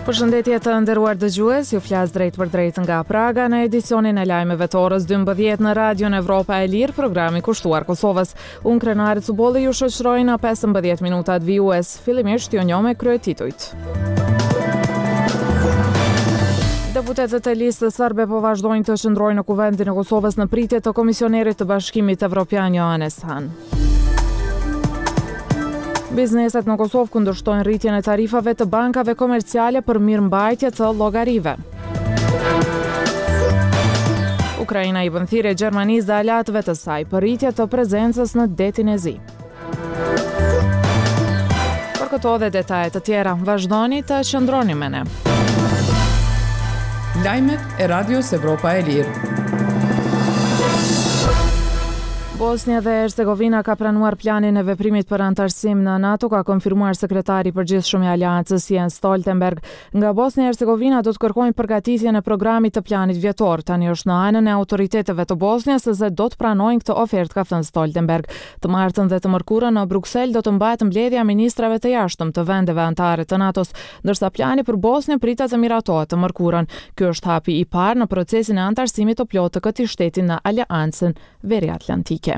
Përshëndetje të nderuar dëgjues, ju flas drejtpërdrejt nga Praga në edicionin e lajmeve të orës 12 në Radion Evropa e Lirë, programi kushtuar Kosovës. Unë Krenare Cubolli ju shoqëroj në 15 minutat vijues. Fillimisht ju njoh me kryetitujt. Deputetët e Listës Serbe po vazhdojnë të qëndrojnë në Kuvendin e Kosovës në pritje të Komisionerit të Bashkimit Evropian Johannes Hahn. Bizneset në Kosovë kundërshtojnë rritjen e tarifave të bankave komerciale për mirëmbajtje të llogarive. Ukraina i bën thirrje Gjermanisë dhe aleatëve të saj për rritje të prezencës në Detin e Zi. Për këto dhe detaje të tjera, vazhdoni të qëndroni me ne. Lajmet e Radios Evropa e Lirë. Bosnja dhe Hercegovina ka pranuar planin e veprimit për anëtarësim në NATO, ka konfirmuar sekretari i përgjithshëm i Aleancës Jens Stoltenberg. Nga Bosnja e Hercegovina do të kërkojnë përgatitjen e programit të planit vjetor. Tani është në anën e autoriteteve të Bosnjës se do të pranojnë këtë ofertë, ka thënë Stoltenberg. Të martën dhe të mërkurën në Bruksel do të mbahet mbledhja e ministrave të jashtëm të vendeve anëtare të NATO-s, ndërsa plani për Bosnjën pritet të miratohet të mërkurën. Ky është hapi i parë në procesin e anëtarësimit të plotë të këtij shteti në Aleancën Veriatlantike.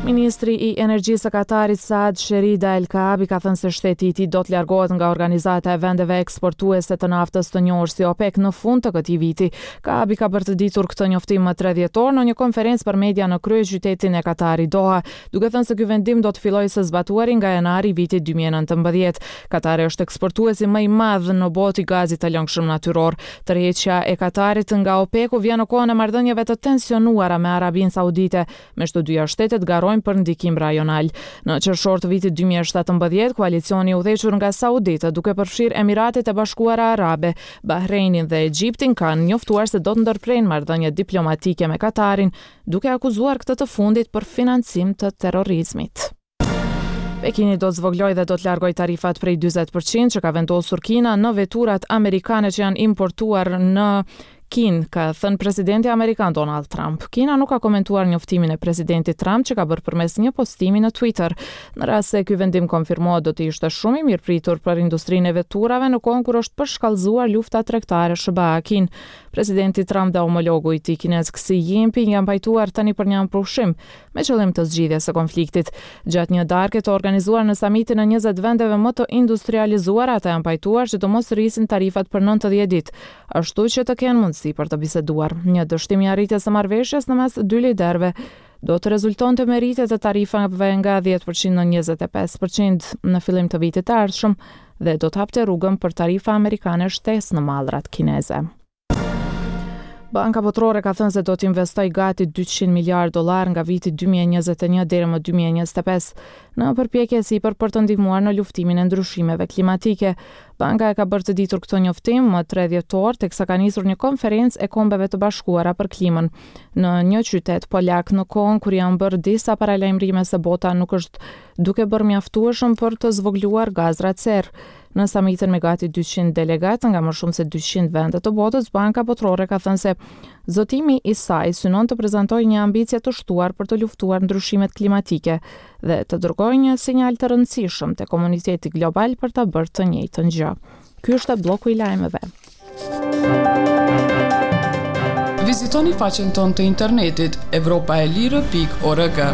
Ministri i Energjisë së Katarit Saad Sherida El Kaabi ka thënë se shteti i tij do të largohet nga organizata e vendeve eksportuese të naftës të njohur si OPEC në fund të këtij viti. Kaabi ka bërë të ditur këtë njoftim më 3 dhjetor në një konferencë për media në kryeqytetin e Katarit Doha, duke thënë se ky vendim do të fillojë së zbatuari nga janari i vitit 2019. Katari është eksportuesi më i madh në botë i gazit të lëngshëm natyror. Tërheqja e Katarit nga OPEC-u vjen në kohën e marrëdhënieve të tensionuara me Arabinë Saudite, meqë të dyja shtetet garojnë për ndikim rajonal. Në qershor të vitit 2017, koalicioni i udhëhequr nga sauditët, duke përfshirë Emiratet e Bashkuara Arabe, Bahreinin dhe Egjiptin, kanë njoftuar se do të ndërprejnë marrëdhëniet diplomatike me Katarin, duke akuzuar këtë të fundit për financim të terrorizmit. Pekini do të zvogëlojë dhe do të largojë tarifat prej 40 për qind që ka vendosur Kina në veturat amerikane që janë importuar në Kinë, ka thënë presidenti amerikan Donald Trump. Kina nuk ka komentuar njoftimin e presidentit Trump që ka bërë përmes një postimi në Twitter. Në rast se ky vendim konfirmohet, do të ishte shumë i mirëpritur për industrinë e veturave në kohën kur është përshkallëzuar lufta tregtare SHBA-Kinë. Presidenti Trump dhe homologu i tij kinez Xi Jinping janë pajtuar tani për një armëpushim me qëllim të zgjidhjes së konfliktit. Gjatë një darke të organizuar në samitin e 20 vendeve më të industrializuara, ata janë pajtuar që të mos rrisin tarifat për 90 ditë, ashtu që të kenë mundësi për të biseduar. Një dështim i arritjes së marrëveshjes në mes dy liderëve do të rezultonte me rritje të tarifave nga 10% në 25% në fillim të vitit të ardhshëm dhe do të hapte rrugën për tarifa amerikane shtesë në mallrat kineze. Banka Botërore ka thënë se do të investojë gati 200 miliardë dollarë nga viti 2021 deri më 2025 në përpjekje e sipër për të ndihmuar në luftimin e ndryshimeve klimatike. Banka e ka bërë të ditur këtë njoftim më 3 dhjetor, teksa ka nisur një konferencë e Kombeve të Bashkuara për Klimën në një qytet polak në kohën kur janë bërë disa paralajmërime se bota nuk është duke bërë mjaftueshëm për të zvogëluar gazrat serrë. Në samitin me gati 200 delegatë nga më shumë se 200 vende të botës, Banka Botërore ka thënë se zotimi i saj synon të prezantojë një ambicie të shtuar për të luftuar ndryshimet klimatike dhe të dërgojë një sinjal të rëndësishëm te komuniteti global për ta bërë të njëjtën gjë. Ky është blloku i lajmeve. Vizitoni faqen tonë të internetit evropaelire.org.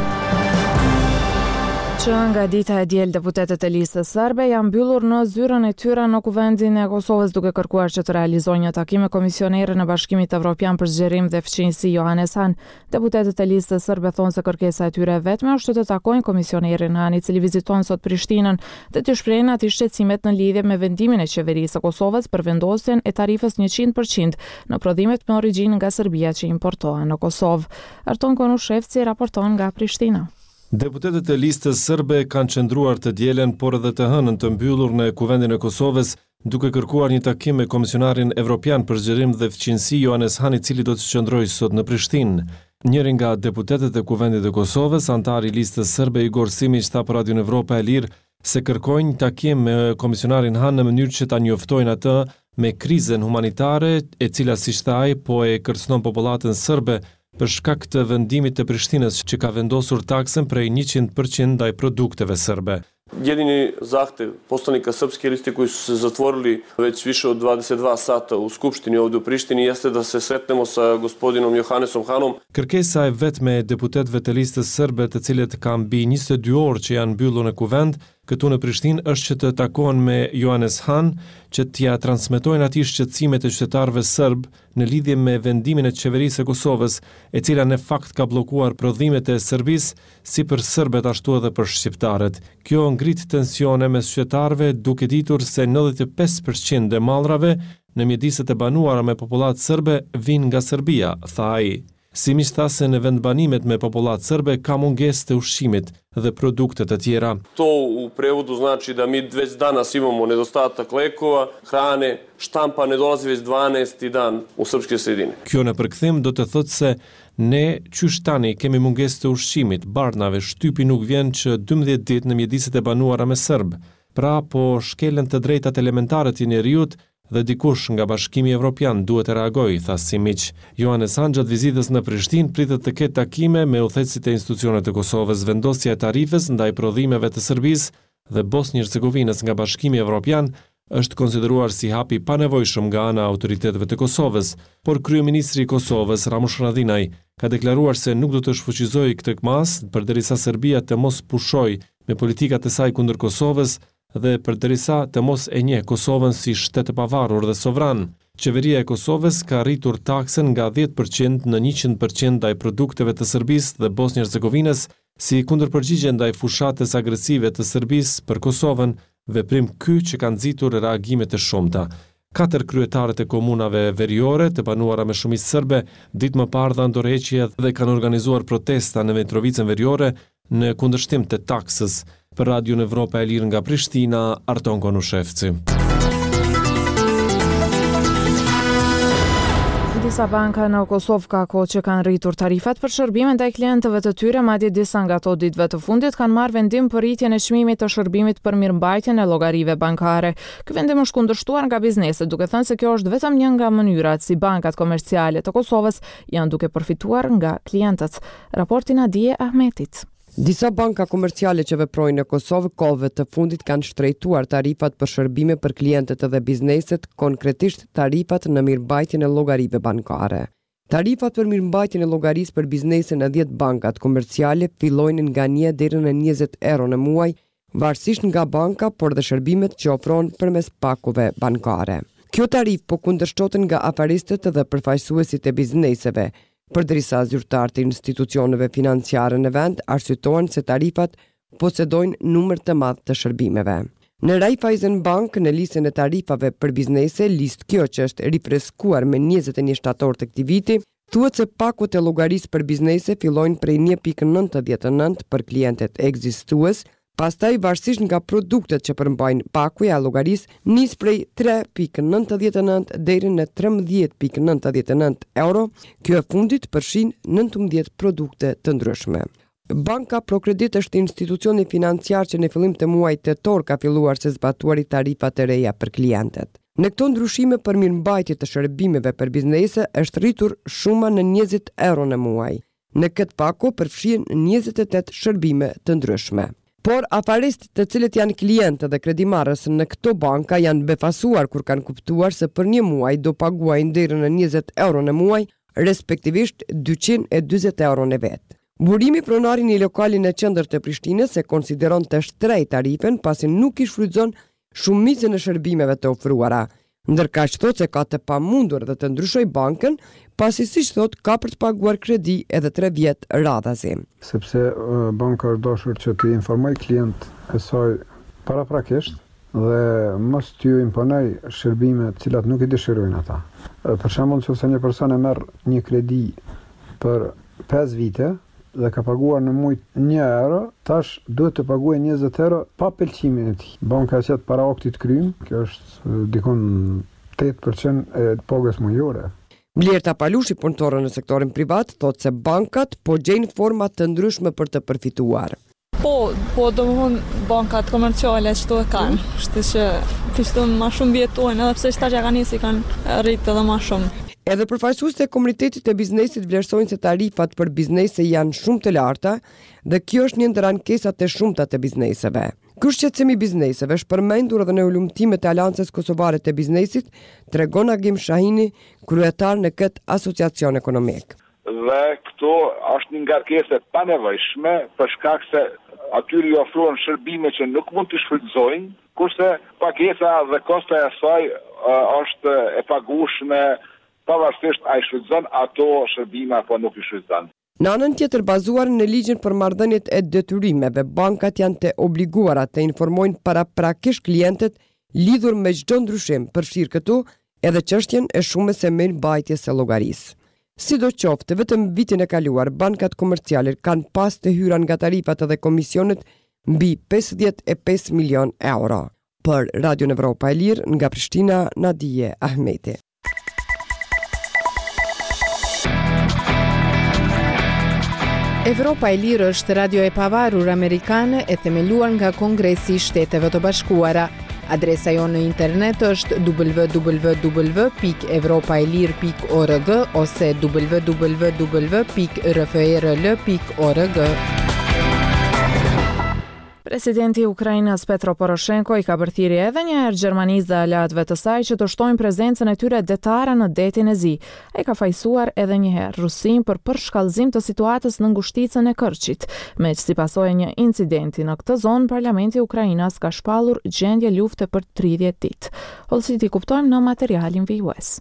Që nga dita e diel deputetët e Listës Serbe janë mbyllur në zyrën e tyre në Kuvendin e Kosovës duke kërkuar që të realizojnë një takim me komisionerin e Bashkimit Evropian për Zgjerim dhe Fqinjësi Johannes Hahn. Deputetët e Listës Serbe thonë se kërkesa e tyre e vetme është të takojnë komisionerin Hahn, i cili viziton sot Prishtinën, dhe t'i shprehin atij shqetësimet në lidhje me vendimin e Qeverisë së Kosovës për vendosjen e tarifës 100% në prodhimet me origjinë nga Serbia që importohen në Kosovë. Arton Konushevci raporton nga Prishtina. Deputetët e Listës Serbe kanë qëndruar të dielën, por edhe të hënën të mbyllur në Kuvendin e Kosovës, duke kërkuar një takim me Komisionarin Evropian për Zgjerim dhe Fqinjësi Johannes Hahn i cili do të qëndrojë sot në Prishtinë. Njëri nga deputetët e Kuvendit të Kosovës, anëtari i Listës Serbe Igor Simiq tha për Radion Evropa e Lirë se kërkojnë një takim me Komisionarin Hahn në mënyrë që ta njoftojnë atë me krizën humanitare e cila siç tha ai po e kërcënon popullatën serbe për shkak të vendimit të Prishtinës që ka vendosur taksën prej 100% ndaj produkteve serbe. Jedini zahtev poslanika Srpske liste koji su se zatvorili već više od 22 sata u Skupštini ovde u Prištini jeste da se sretnemo sa gospodinom Johannesom Hanom. Kërkesa e vetme e deputetëve të Listës Sërbe të cilët kanë mbi 22 orë që janë mbyllur në Kuvend, këtu në Prishtinë është që të takohen me Johannes Hahn që t'ia transmetojnë atij shqetësimet e qytetarëve sërbë në lidhje me vendimin e Qeverisë së Kosovës, e cila në fakt ka bllokuar prodhimet e Serbisë si për sërbët ashtu edhe për shqiptarët. Kjo ngrit tensione mes qytetarëve duke ditur se 95 për qind e mallrave në mjediset e banuara me popullatë sërbe vijnë nga Serbia, tha ai. Simiq tha se në vendbanimet me popullatë sërbe ka mungesë të ushqimit dhe produkte të tjera. To u prevodu znači da mi već danas imamo nedostatak lekova, hrane, štampa ne dolazi već 12. dan u srpske sredine. Kjo në përkthim do të thotë se ne qysh tani kemi mungesë të ushqimit, barnave, shtypi nuk vjen që 12 ditë në mjediset e banuara me sërbë. Pra po shkelen të drejtat elementare të njeriut dhe dikush nga Bashkimi Evropian duhet të reagojë, tha Simiq. Johannes Hahn gjatë vizitës në Prishtinë pritet të ketë takime me udhëheqësit e institucioneve të Kosovës. Vendosja e tarifës ndaj prodhimeve të Serbisë dhe Bosnjë-Hercegovinës nga Bashkimi Evropian është konsideruar si hap i panevojshëm nga ana e autoriteteve të Kosovës, por kryeministri i Kosovës, Ramush Haradinaj, ka deklaruar se nuk do të shfuqizojë këtë masë përderisa Serbia të mos pushojë me politikat e saj kundër Kosovës dhe përderisa të mos e njeh Kosovën si shtet të pavarur dhe sovran. Qeveria e Kosovës ka rritur taksën nga 10% në 100% ndaj produkteve të Serbisë dhe Bosnjë-Hercegovinës si kundërpërgjigje ndaj fushatës agresive të Serbisë për Kosovën, veprim ky që ka nxitur reagime të shumta. Katër kryetarët e komunave veriore të banuara me shumicë sërbe, ditë më parë dhanë dorëheqje dhe kanë organizuar protesta në Mitrovicën veriore në kundërshtim të taksës. Për Radion Evropa e Lirë nga Prishtina, Arton Konushevci. Disa banka në Kosovë ka kohë që kanë rritur tarifat për shërbime ndaj klientëve të tyre, madje disa nga to ditëve të fundit kanë marrë vendim për rritjen e çmimit të shërbimit për mirëmbajtjen e llogarive bankare. Ky vendim është kundërshtuar nga bizneset, duke thënë se kjo është vetëm një nga mënyrat si bankat komerciale të Kosovës janë duke përfituar nga klientët. Raporti Nadie Ahmetit. Disa banka komerciale që veprojnë në Kosovë kohëve të fundit kanë shtrejtuar tarifat për shërbime për klientët dhe bizneset, konkretisht tarifat në mirëmbajtjen e llogarive bankare. Tarifat për mirëmbajtjen e llogarisë për biznese në 10 bankat komerciale fillojnë nga 1 deri në 20 euro në muaj, varësisht nga banka, por dhe shërbimet që ofron përmes pakove bankare. Kjo tarifë po kundërshtohet nga afaristët dhe përfaqësuesit e bizneseve, përderisa zyrtarët e institucioneve financiare në vend arsyetohen se tarifat posedojnë numër të madh të shërbimeve. Në Raiffeisen Bank, në listën e tarifave për biznese, listë kjo që është rifreskuar me 21 shtator të këtij viti, thuhet se pakot e llogarisë për biznese fillojnë prej 1.99 për klientët ekzistues, pastaj varësisht nga produktet që përmbajnë pakoja e llogarisë nis prej 3.99 deri në 13.99 euro, kjo e fundit përfshin 19 produkte të ndryshme. Banka ProCredit është institucioni financiar që në fillim të muajit tetor ka filluar së zbatuari tarifat e reja për klientët. Në këto ndryshime për mirëmbajtje të shërbimeve për biznese është rritur shuma në 20 euro në muaj. Në këtë pako përfshihen 28 shërbime të ndryshme. Por afaristët të cilët janë klientë dhe kredimarrës në këto banka janë befasuar kur kanë kuptuar se për një muaj do paguajnë deri në 20 euro në muaj, respektivisht 240 euro në vit. Burimi pronari i një lokali në qendër të Prishtinës e konsideron të shtrejtë tarifën pasi nuk i shfrytëzon shumicën e shërbimeve të ofruara. Ndërkaq thotë se ka të pamundur dhe të ndryshojë bankën, pasi siç thotë ka për të paguar kredi edhe 3 vjet radhazi. Sepse banka është dashur që të informojë klientët e saj paraprakisht dhe mos t'ju imponojë shërbime të cilat nuk i dëshirojnë ata. Për shembull, nëse një person e merr një kredi për 5 vite dhe ka paguar në muaj 1 euro, tash duhet të paguajë 20 euro pa pëlqimin e tij. Banka e qet para aktit krym, kjo është dikun 8% e pagës mujore. Blerta Palushi, punëtore në sektorin privat, thotë se bankat po gjejnë forma të ndryshme për të përfituar. Po, po do më thonë bankat komerciale që to e kanë, kështu që kështu ma shumë mbijetojnë, edhe pse qetash ja kanë nisi kanë rritë edhe ma shumë. Edhe përfaqësuesit e komunitetit të biznesit vlerësojnë se tarifat për biznese janë shumë të larta dhe kjo është një ndër ankesat e shumta të bizneseve. Ky shqetësim i bizneseve është përmendur edhe në hulumtimet e Aleancës Kosovare të Biznesit, tregon Agim Shahini, kryetar në këtë asociacion ekonomik. Dhe këtu është një ngarkesë e panevojshme për shkak se atyre ju ofrohen shërbime që nuk mund t'i shfrytëzojnë, kurse pagesa dhe kostoja e saj është e pagueshme pavarësisht a i shfrytëzon ato shërbime apo nuk i shfrytëzon. Në anën tjetër, bazuar në Ligjin për Marrëdhëniet e Detyrimeve, bankat janë të obliguara të informojnë paraprakisht klientët lidhur me çdo ndryshim, përfshirë këtu edhe çështjen e shumës së mirëmbajtjes së llogarisë. Sidoqoftë, vetëm vitin e kaluar, bankat komerciale kanë pas të hyra nga tarifat edhe komisionet mbi 55 milionë euro. Për Radion Evropa e Lirë, nga Prishtina, Nadije Ahmeti. Evropa e Lirë është radio e pavarur amerikane e themeluar nga Kongresi i Shteteve të Bashkuara. Adresa jonë në internet është www.evropaelire.org ose www.rferl.org. Presidenti i Ukrainës Petro Poroshenko i ka bërë thirrje edhe një herë Gjermanisë dhe aleatëve të saj që të shtojnë prezencën e tyre detare në Detin e Zi. Ai ka fajësuar edhe një herë Rusinë për përshkallëzim të situatës në ngushticën e Kërçit. Meqë si pasojë e një incidenti në këtë zonë, parlamenti ukrainas ka shpallur gjendje lufte për 30 ditë. Hollësitë i kuptojmë në materialin vijues.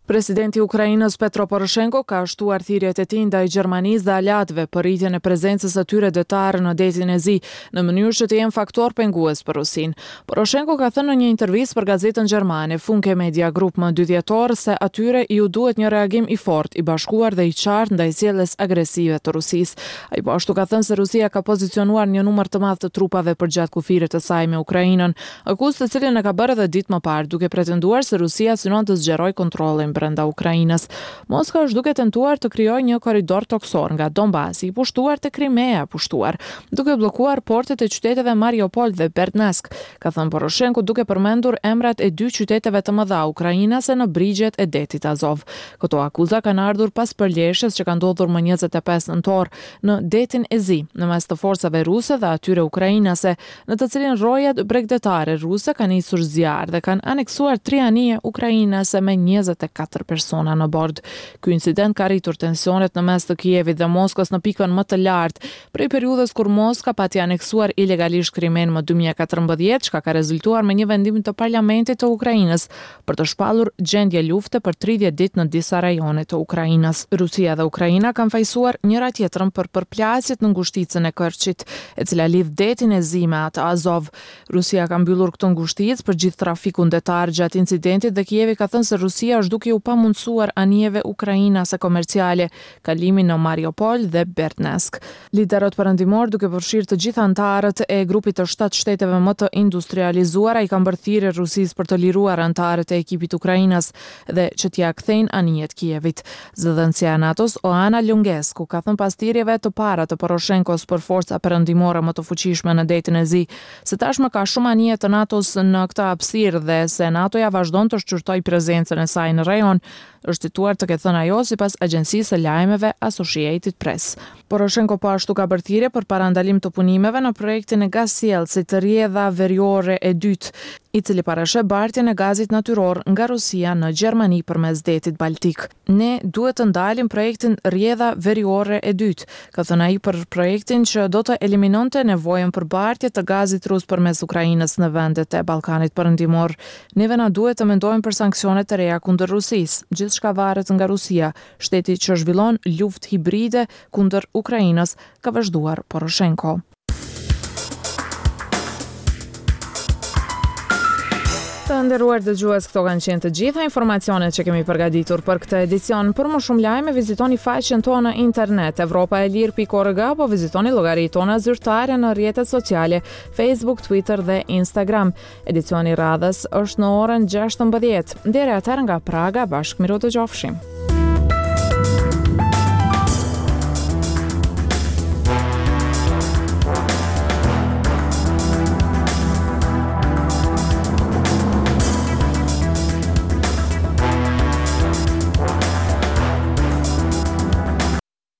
Presidenti i Ukrainës Petro Poroshenko ka shtuar thirrjet e tij ndaj Gjermanisë dhe aleatëve për rritjen e prezencës së tyre detare në Detin e Zi, në mënyrë që të jenë faktor pengues për Rusinë. Poroshenko ka thënë në një intervistë për gazetën gjermane Funke Media Group më 2 dhjetor se atyre iu duhet një reagim i fortë, i bashkuar dhe i qartë ndaj sjelljes agresive të Rusisë. Ai po ashtu ka thënë se Rusia ka pozicionuar një numër të madh të trupave përgjatë kufirit të saj me Ukrainën, Akuzë të cilën e ka bërë edhe ditë më parë, duke pretenduar se Rusia synon të zgjerojë kontrollin brenda Ukrainës. Moska është duke tentuar të krijojë një korridor tokësor nga Donbasi i pushtuar te Krimea e pushtuar, duke bllokuar portet e qyteteve Mariupol dhe Berdyansk, ka thënë Poroshenko duke përmendur emrat e dy qyteteve të mëdha ukrainase në brigjet e Detit Azov. Këto akuza kanë ardhur pas përleshjes që ka ndodhur më 25 nëntor në Detin e Zi, në mes të forcave ruse dhe atyre ukrainase, në të cilin rojet bregdetare ruse kanë nisur zjarr dhe kanë aneksuar tri anije ukrainase me 24 persona në bord. Ky incident ka rritur tensionet në mes të Kievit dhe Moskës në pikën më të lartë, prej periudhës kur Moska pati aneksuar ilegalisht Krimenë më 2014, çka ka rezultuar me një vendim të parlamentit të Ukrainës për të shpallur gjendje lufte për 30 ditë në disa rajone të Ukrainës. Rusia dhe Ukraina kanë fajësuar njëra tjetrën për përplasjet në ngushticën e Kërçit, e cila lidh Detin e Zi me atë Azov. Rusia ka mbyllur këtë ngushticë për gjithë trafikun detar gjatë incidentit dhe Kievi ka thënë se Rusia është duke iu pamundësuar anijeve ukrainase komerciale kalimin në Mariupol dhe Berdyansk. Liderët perëndimorë, duke përfshirë të gjithë anëtarët e grupit të shtatë shteteve më të industrializuara, i kanë bërë thirrje Rusisë për të liruar anëtarët e ekipit ukrainas dhe që t'ia kthejnë anijet Kievit. Zëdhënësja e NATO-s, Oana Lungescu, ka thënë pas thirrjeve të para të Poroshenkos për forca perëndimore më të fuqishme në Detin e Zi, se tashmë ka shumë anije të NATO-s në këtë hapësirë dhe se NATO-ja vazhdon të shqyrtojë prezencën e saj në rajon, është cituar të ketë thënë ajo sipas agjencisë së lajmeve Associated Press. Poroshenko po ashtu ka bërë thirrje për parandalim të punimeve në projektin e gazsjellësit Rrjedha Veriore e Dytë, i cili parasheh bartjen e gazit natyror nga Rusia në Gjermani përmes Detit Baltik. Ne duhet të ndalim projektin Rrjedha Veriore e Dytë, ka thënë ai për projektin që do të eliminonte nevojën për bartje të gazit rus përmes Ukrainës në vendet e Ballkanit Perëndimor. Neve na duhet të mendojmë për sanksione të reja kundër Rusisë. Gjithçka varet nga Rusia, shteti që zhvillon luftë hibride kundër Ukrainës, ka vazhduar Poroshenko. Të nderuar dëgjues, këto kanë qenë të gjitha informacionet që kemi përgatitur për këtë edicion. Për më shumë lajme vizitoni faqen tonë në internet evropaelire.org apo vizitoni llogaritë tona zyrtare në rrjetet sociale Facebook, Twitter dhe Instagram. Edicioni i radhës është në orën 16. Deri atëherë nga Praga, bashkë mirudëgjofshim.